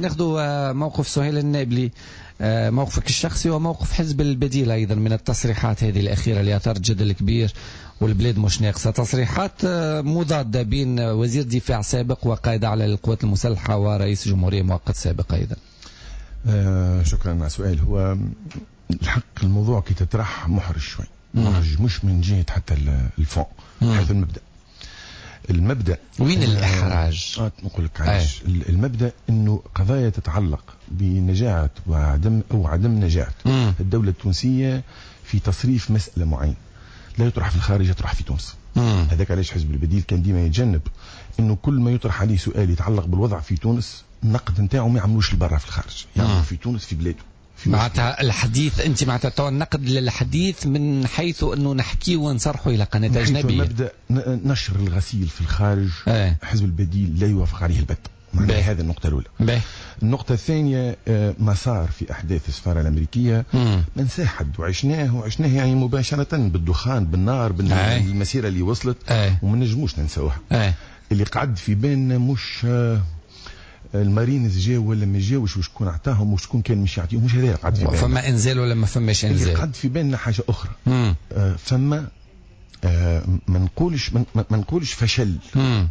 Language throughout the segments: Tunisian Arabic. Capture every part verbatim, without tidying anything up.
ناخذ موقف سهيل النابلي، موقفك الشخصي وموقف حزب البديل أيضا من التصريحات هذه الأخيرة اللي أثارت جدل كبير والبلاد مش ناقصة. تصريحات مضادة بين وزير دفاع سابق وقائد أعلى للقوات المسلحة ورئيس جمهورية مؤقت سابق أيضا. آه شكرا على السؤال. هو الحق الموضوع كي تطرح محرج شوي، محرج مش من جهة حتى ال fond، حيث المبدأ. المبدأ وين الإحراج؟ آه نقول لك علاش. آه. المبدأ أنه قضايا تتعلق بنجاعة وعدم أو عدم نجاعة مم. الدولة التونسية في تصريف مسألة معينة لا يطرح في الخارج، يطرح في تونس. هذاك علاش حزب البديل كان ديما يتجنب أنه كل ما يطرح عليه سؤال يتعلق بالوضع في تونس النقد نتاعو ما يعملوش لبرا في الخارج، يعملوا في تونس في بلاده. معناتها الحديث انت معناتها تو النقد للحديث من حيث انه نحكي ونصرحه الى قناة اجنبية. مبدا نشر الغسيل في الخارج اه. حزب البديل لا يوافق عليه البت. هذه النقطة الاولى. بيه. النقطة الثانية ما صار في احداث السفارة الامريكية ما نساه حد، وعشناه وعشناه يعني مباشرة بالدخان بالنار بالمسيره اللي وصلت اه. وما نجموش ننساوها. اه. اللي قعد في بالنا مش المارينز جاو ولا ما جاوش وشكون عطاهم وشكون كان مش يعطيهم، مش هذا قعد في بالنا. فما انزال ولا ما فماش انزال؟ اللي قعد في بالنا حاجة اخرى. آه فما آه ما نقولش ما نقولش فشل. مم.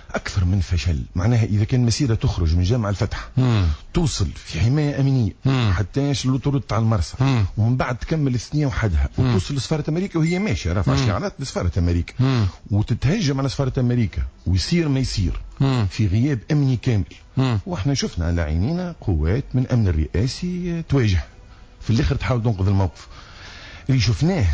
اكثر من فشل، معناها اذا كان مسيره تخرج من جامع الفتح مم. توصل في حماية امنية حتى l'autoroute تاع المرسى ومن بعد تكمل الثنية وحدها وتوصل لسفاره امريكا وهي ماشية رافعه شعارات لسفاره امريكا مم. وتتهجم على سفارة امريكا ويصير ما يصير مم. في غياب امني كامل. مم. واحنا شفنا على عينينا قوات من امن الرئاسي تواجه في الاخر تحاول تنقذ الموقف. اللي شفناه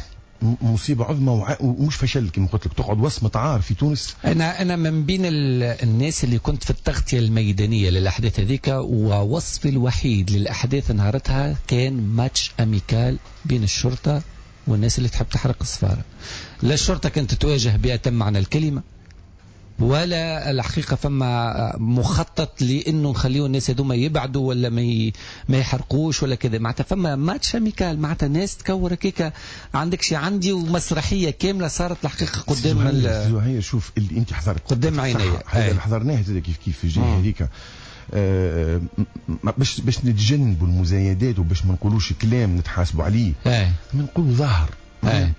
مصيبة عظمى ومش فشل كما قلت لك، تقعد وصمة عار في تونس. انا انا من بين الناس اللي كنت في التغطية الميدانية للاحداث هذيك، ووصفي الوحيد للاحداث نهارتها كان match amical بين الشرطة والناس اللي تحب تحرق السفارة. لا الشرطة كانت تواجه بأتم معنى الكلمة، ولا الحقيقة فما مخطط لأنه نخليو الناس هذوما يبعدوا ولا ما ي... ما يحرقوش ولا كذا. معناتها فما match amical، معناتها ناس تكور هكاك عندك شي عندي، ومسرحية كاملة صارت الحقيقة قدام ال... شوف اللي أنت حضرت قدام عيني، هذا اللي حضرناه كيف كيف في الجهة هذيك. آه باش باش نتجنبوا المزايدات وباش ما نقولوش كلام نتحاسبوا عليه، ما نقولوا ظاهر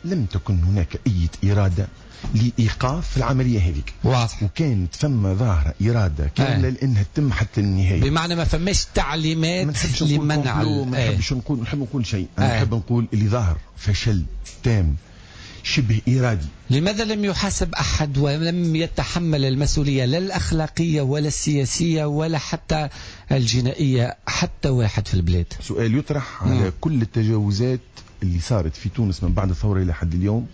لم تكن هناك أي إرادة لإيقاف العملية هذيك. واضح. وكانت فما ظاهرة إرادة كاملة لأنها تتم حتى النهاية. بمعنى ما فماش تعليمات لمنع. ما نحبش نقول، نحب نقول شيء، أنا نحب نقول اللي ظاهر فشل تام شبه إرادي. لماذا لم يحاسب أحد ولم يتحمل المسؤولية لا الأخلاقية ولا السياسية ولا حتى الجنائية حتى واحد في البلاد؟ سؤال يطرح على كل التجاوزات اللي صارت في تونس من بعد الثورة إلى حد اليوم،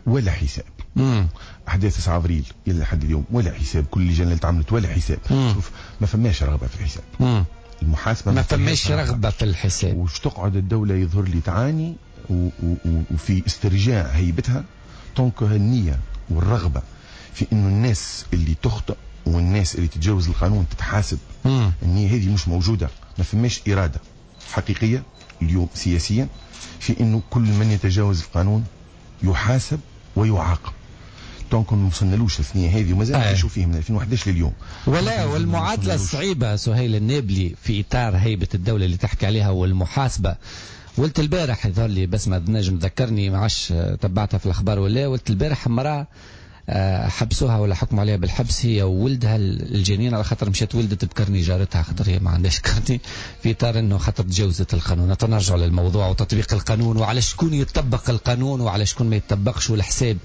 ولا حساب. مم. احداث تسعة افريل الى حد اليوم ولا حساب، كل اللجان اللي تعملت ولا حساب. مم. شوف ما فماش رغبة في الحساب. مم. المحاسبة ما فماش رغبة في الحساب. وش تقعد الدولة يظهر لي تعاني و و وفي استرجاع هيبتها tant que النية والرغبة في انه الناس اللي تخطئ والناس اللي تتجاوز القانون تتحاسب. مم. النية هذه مش موجودة، ما فماش اراده حقيقية اليوم سياسيا في انه كل من يتجاوز القانون يحاسب ويعاقب. donc ما وصلنالوش الثنية هذه ومازال نعيشوا فيه من ألفين وأحد عشر لليوم. ولا والمعادله الصعيبه سهيل النابلي في اطار هيبة الدولة اللي تحكي عليها والمحاسبه. ولت البارح يظهر لي بس ما نجم تذكرني ما عادش تبعتها في الاخبار ولا، ولت البارح امراة حبسوها ولا حكموا عليها بالحبس هي وولدها الجنين على خاطر مشات ولدت ب carnet جارتها، خاطر هي ما عندهاش carnet، في اطار انه خاطر تجاوزت القانون. نرجع للموضوع وتطبيق القانون وعلى شكون يطبق القانون وعلى شكون ما يطبقش، والحساب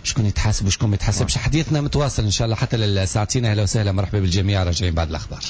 شكون يتحاسب وشكون ما يتحاسبش. حديثنا متواصل ان شاء الله حتى للساعتين. اهلا وسهلا، مرحبا بالجميع، راجعين بعد الاخبار.